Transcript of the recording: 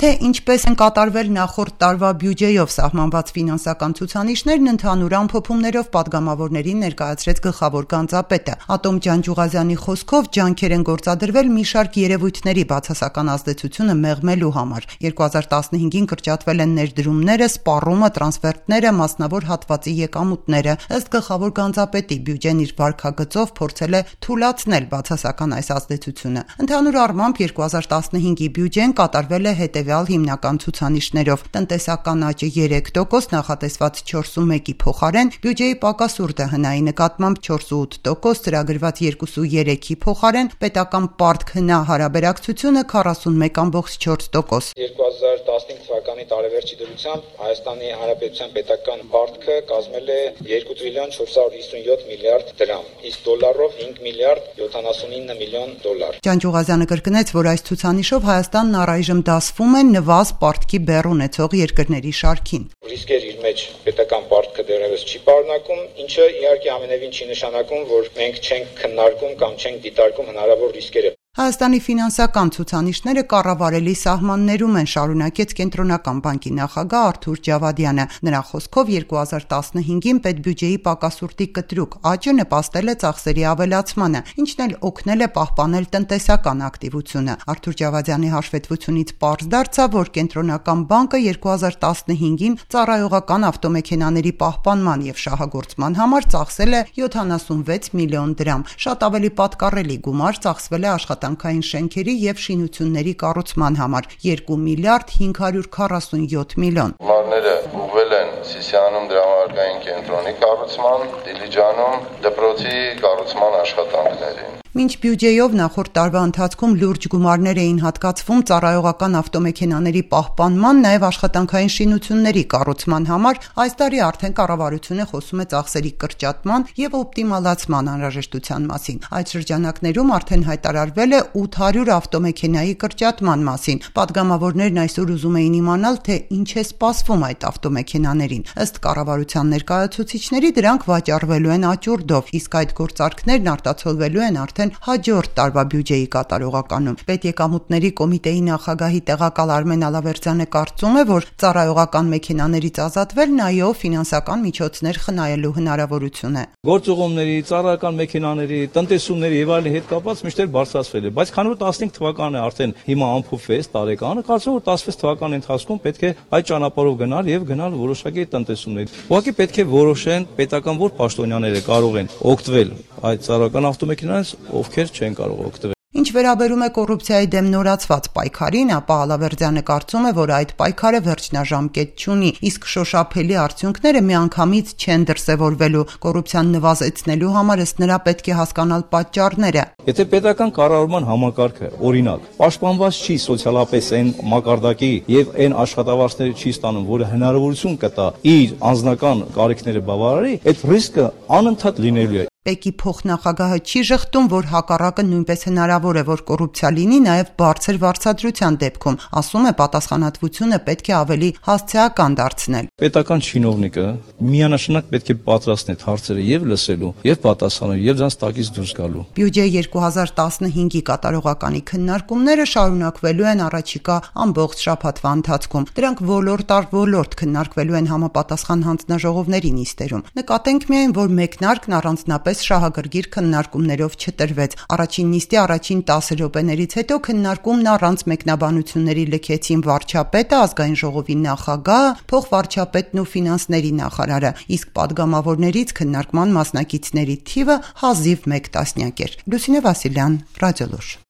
Թե ինչպես են կատարվել նախորդ տարվա բյուջեով սահմանված ֆինանսական ցուցանիշներն, ընդհանուր ամփոփումներով պատգամավորներին ներկայացրեց գլխավոր գանձապետը։ Ատոմ Ջանջուղազյանի խոսքով ջանքեր են գործադրվել մի շարք երևույթների բացասական ազդեցությունը մեղմելու համար։ 2015-ին կրճատվել են ներդրումները, սպառումը, տրանսֆերտները, մասնավոր հատվածի եկամուտները։ Ըստ գլխավոր գանձապետի, բյուջեն իր վարքագծով փորձել է թուլացնել բացասական այս ազդեցությունը։ Ընդհանուր առմամբ 2015-ի բյուջեն կատարվել է հետևյալ հիմնական ցուցանիշներով. տնտեսական աճը 3%, նախատեսված 4.1-ի փոխարեն, բյուջեի պակասուրդը հնայի նկատմամբ 4.8%, ծրագրված 2.3-ի փոխարեն, պետական պարտք հնա հարաբերակցությունը 41.4%։ 2015 թվականի տարեվերջի դրությամբ Հայաստանի Հանրապետության պետական պարտքը կազմել է 2 տրիլիոն 457 միլիարդ դրամ, իսկ դոլարով 5 միլիարդ 79 միլիոն դոլար։ Ջանջուղազյանը կրկնեց, որ այս ցուցանիշով Հայաստանն առայժմ դասվում է նվազ պարտքի բեռ ունեցող երկրների շարքին։ Ռիսկեր իր մեջ պետական պարտքը դեռևս չի պարունակում, ինչը իհարկե ամենևին չի նշանակում, որ մենք չենք քննարկում կամ չենք դիտարկում հնարավոր ռիսկերը։ Հայաստանի ֆինանսական ցուցանիշները կառավարելի սահմաններում են, շարունակեց Կենտրոնական բանկի նախագահ Արթուր Ջավադյանը։ Նրա խոսքով 2015-ին պետբյուջեի պակասուրդի կտրուկ աճը նպաստել է ծախսերի ավելացմանը, ինչն էլ օգնել է պահպանել տնտեսական ակտիվությունը։ Արթուր Ջավադյանի հաշվետվությունից պարզ դարձավ, որ Կենտրոնական բանկը 2015-ին ծառայողական ավտոմեքենաների պահպանման եւ շահագործման համար ծախսել է 76 միլիոն դրամ։ Շատ ավելի պատկառելի գումար ծախսվել է աշխատանքային շենքերի եւ շինությունների կառուցման համար 2 միլիարդ 547 միլիոն։ Գումարները ուղղվել են Սիսիանում դրամարկային կենտրոնի կառուցման, Դիլիջանում դպրոցի կառուցման աշխատանքներին։ Մինչ բյուջեով նախորդ տարվա ընթացքում լուրջ գումարներ էին հատկացվում ծառայողական ավտոմեքենաների պահպանման, նաև աշխատանքային շինությունների կառուցման համար, այս տարի արդեն կառավարությունը խոսում է ծախսերի կրճատման եւ օպտիմալացման անհրաժեշտության մասին։ Այդ շրջանակներում արդեն հայտարարվել է 800 ավտոմեքենայի կրճատման մասին։ Պատգամավորներն այսօր ուզում էին իմանալ, թե ինչ է սպասվում այդ ավտոմեքենաներին։ Ըստ կառավարության ներկայացուցիչների, դրանք վաճառվելու են աճուրդով, իսկ այդ գործարքներն արտացոլվելու են արդեն հաջորդ տարվա բյուջեի կատարողականում։ Պետեկամուտների կոմիտեի նախագահի տեղակալ Արմեն Ալավերդյանը կարծում է, որ ծառայողական մեքենաներից ազատվելն այո ֆինանսական միջոցներ խնայելու հնարավորություն է։ Գործուղումների, ծառայական մեքենաների, տնտեսումների եւ այլն հետ կապված միշտ բարձրացվել է, բայց քանի որ 15 թվականն է արդեն հիմա ամփոփվեց տարեկանը, կարծում որ 16 թվականի ընթացքում պետք է այդ ճանապարհով գնալ եւ գնալ որոշակի տնտեսումների։ Ուղղակի պետք է որոշեն պետական որ պաշտոնյաները կարող են օգտվել այդ ծառայական ավտոմեքենաներից, ովքեր չեն կարող օգտվել։ Ինչ վերաբերում է կոռուպցիայի դեմ նորացված պայքարին, ապա Ալավերդյանը կարծում է, որ այդ պայքարը վերջնաժամկետ չունի, իսկ շոշափելի արդյունքները միանգամից չեն դրսևորվելու։ Կոռուպցիան նվազեցնելու համար ըստ նրա պետք է հասկանալ պատճառները։ Եթե պետական կառավարման համակարգը, օրինակ, պաշտպանված չի սոցիալապես այն մակարդակի եւ այն աշխատավարձները չի ստանում, որը հնարավորություն կտա իր անձնական կարիքները բավարարի, այդ ռիսկը անընդհատ լինելու է։ ՊԵԿ-ի փոխնախագահը չի ժխտում, որ հակառակը նույնպես հնարավոր է, որ կոռուպցիա լինի նաև բարձր վարձատրության դեպքում։ Ասում է, պատասխանատվությունը պետք է ավելի հասցեական դարձնել։ Պետական չինովնիկը միանշանակ պետք է պատրաստի հարցերը եւ լսելու, եւ պատասխանելու, եւ դրանց տակից դուրս գալու։ Բյուջե 2015-ի կատարողականի քննարկումները շարունակվելու են առաջիկա ամբողջ շաբաթվա ընթացքում։ Դրանք ոլորտ առ ոլորտ քննարկվելու են համապատասխան հանձնաժողովների նիստերում։ Նկատենք միայն, որ մեկնարկն առանձնապես շահագրգիռ քննարկումներով չտրվեց։ Առաջին նիստի առաջին 10 րոպեներից հետո քննարկումն առանց մեկնաբանությունների լքեցին վարչապետը, ազգային ժողովի նախագահը, փոխվարչապետն ու ֆինանսների նախարարը, իսկ պատգամավորներից քննարկման մասնակիցների թիվը հազիվ 1 տասնյակ էր։ Լուսինե Վասիլյան, Ռադիոլուր։